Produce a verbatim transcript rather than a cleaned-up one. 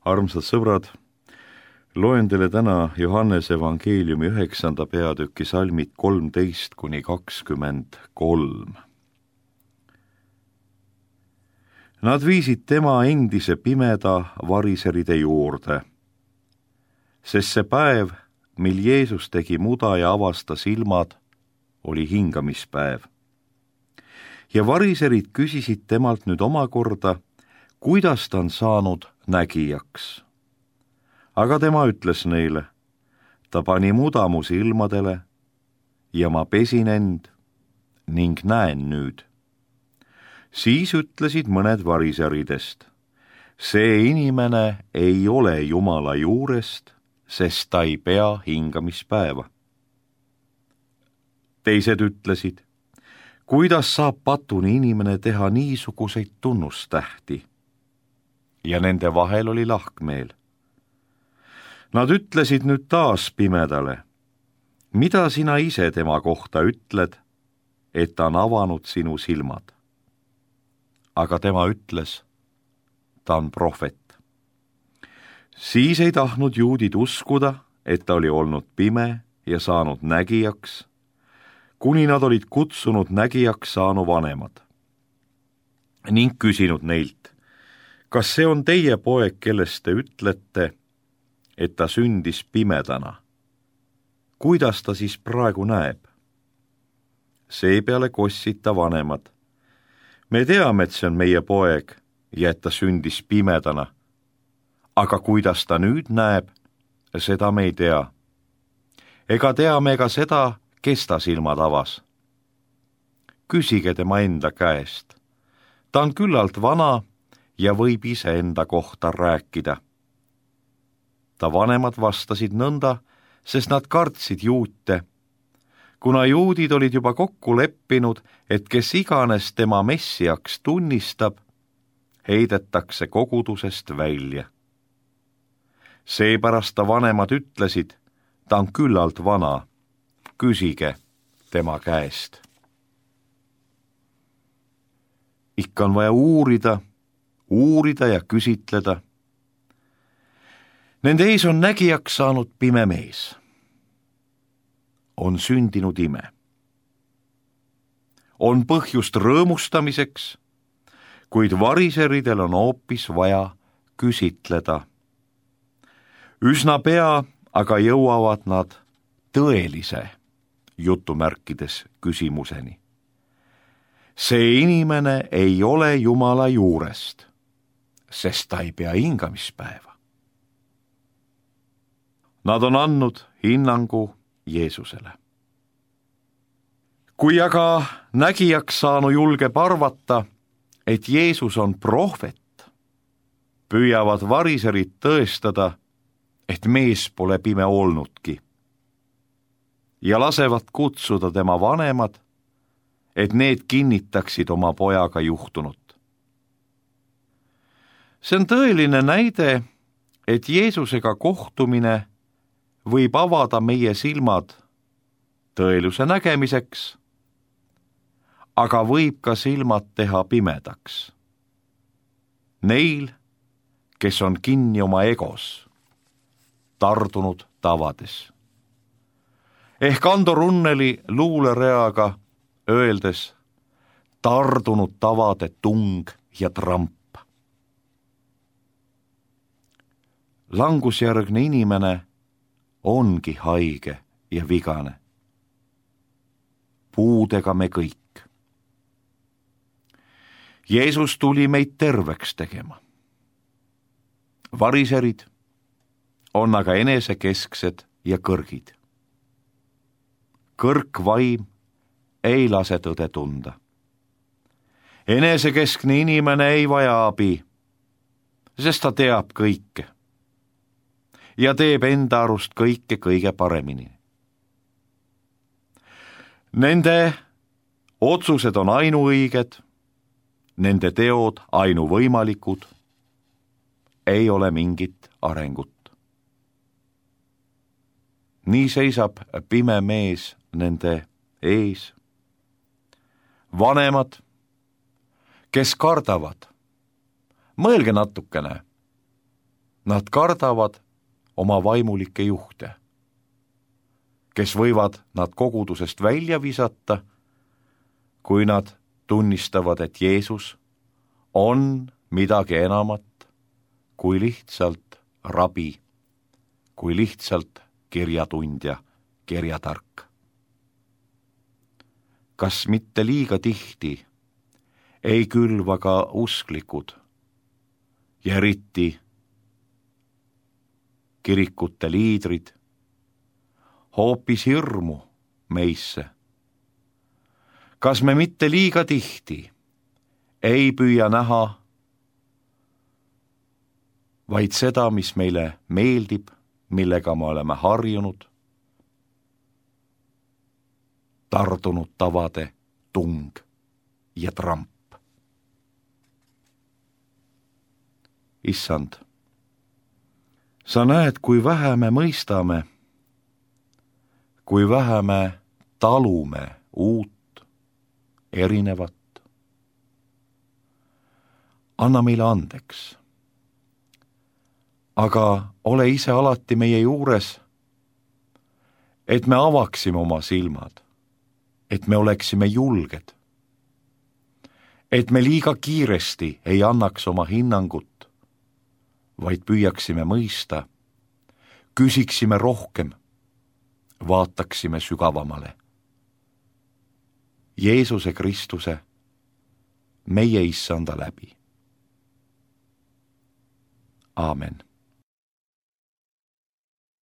Armsad sõbrad, loen teile täna Johannese evangeeliumi üheksanda peatüki salmid kolmteist kuni kakskümmend kolm. Nad viisid tema endise pimeda variseride juurde, sest see päev, mil Jeesus tegi muda ja avastas ilmad, oli hingamispäev. Ja variserid küsisid temalt nüüd omakorda, kuidas ta on saanud nägijaks. Aga tema ütles neile, ta pani muda mu silmadele ja ma pesin end ning näen nüüd. Siis ütlesid mõned variseridest, see inimene ei ole Jumala juurest, sest ta ei pea hingamispäeva. Teised ütlesid, kuidas saab patuni inimene teha niisuguseid tunnustähti? Ja nende vahel oli lahkmeel. Nad ütlesid nüüd taas pimedale, mida sina ise tema kohta ütled, et ta on avanud sinu silmad? Aga tema ütles, ta on prohvet. Siis ei tahtnud juudid uskuda, et ta oli olnud pime ja saanud nägijaks, kuni nad olid kutsunud nägijaks saanu vanemad ning küsinud neilt, kas see on teie poeg, kellest te ütlete, et ta sündis pimedana? Kuidas ta siis praegu näeb? Seepeale kossid ta vanemad. Me teame, et see on meie poeg ja et ta sündis pimedana, aga kuidas ta nüüd näeb, seda me ei tea. Ega teame ka seda, kes ta silmad avas. Küsige tema enda käest. Ta on küllalt vana ja võib ise enda kohta rääkida. Ta vanemad vastasid nõnda, sest nad kartsid juute, kuna juudid olid juba kokku leppinud, et kes iganes tema messiaks tunnistab, heidetakse kogudusest välja. Seepärast ta vanemad ütlesid, ta on küllalt vana, küsige tema käest. Ikka on vaja uurida, uurida ja küsitleda. Nende ees on nägijaks saanud pime mees. On sündinud ime. On põhjust rõõmustamiseks, kuid variseridel on hoopis vaja küsitleda. Üsna pea aga jõuavad nad tõelise jutumärkides küsimuseni. See inimene ei ole Jumala juurest, sest ta ei pea hingamispäeva. Nad on andnud hinnangu Jeesusele. Kui aga nägijaks saanu julgeb arvata, et Jeesus on prohvet, püüavad variserid tõestada, et mees pole pime olnudki, ja lasevad kutsuda tema vanemad, et need kinnitaksid oma pojaga juhtunut. See on tõeline näide, et Jeesusega kohtumine võib avada meie silmad tõeluse nägemiseks, aga võib ka silmad teha pimedaks. Neil, kes on kinni oma egos, tardunud tavades. Ehk Ando Runneli luulereaga öeldes tardunud tavade tung ja tramp. Langusjärgne inimene ongi haige ja vigane. Puudega me kõik. Jeesus tuli meid terveks tegema. Variserid on aga enesekesksed ja kõrgid. Kõrk vaim ei lase tõde tunda. Enesekeskne inimene ei vaja abi, sest ta teab kõike ja teeb enda arust kõike kõige paremini. Nende otsused on ainuõiged, nende teod ainuvõimalikud, ei ole mingit arengut. Nii seisab pime mees nende ees. Vanemad, kes kardavad, mõelge natukene. Nad kardavad oma vaimulikke juhte, kes võivad nad kogudusest välja visata, kui nad tunnistavad, et Jeesus on midagi enamat kui lihtsalt rabi, kui lihtsalt kirjatundja, kirjatark. Kas mitte liiga tihti ei külva ka usklikud ja eriti kirikute liidrid hoopis hirmu meisse? Kas me mitte liiga tihti ei püüa näha vaid seda, mis meile meeldib, millega me oleme harjunud, tardunud tavade tung ja tramp? Issand, sa näed, kui vähe me mõistame, kui vähe me talume uut, erinevat. Anna meile andeks. Aga ole ise alati meie juures, et me avaksime oma silmad, et me oleksime julged, et me liiga kiiresti ei annaks oma hinnangut, vaid püüaksime mõista, küsiksime rohkem, vaataksime sügavamale. Jeesuse Kristuse, meie Issanda läbi. Aamen.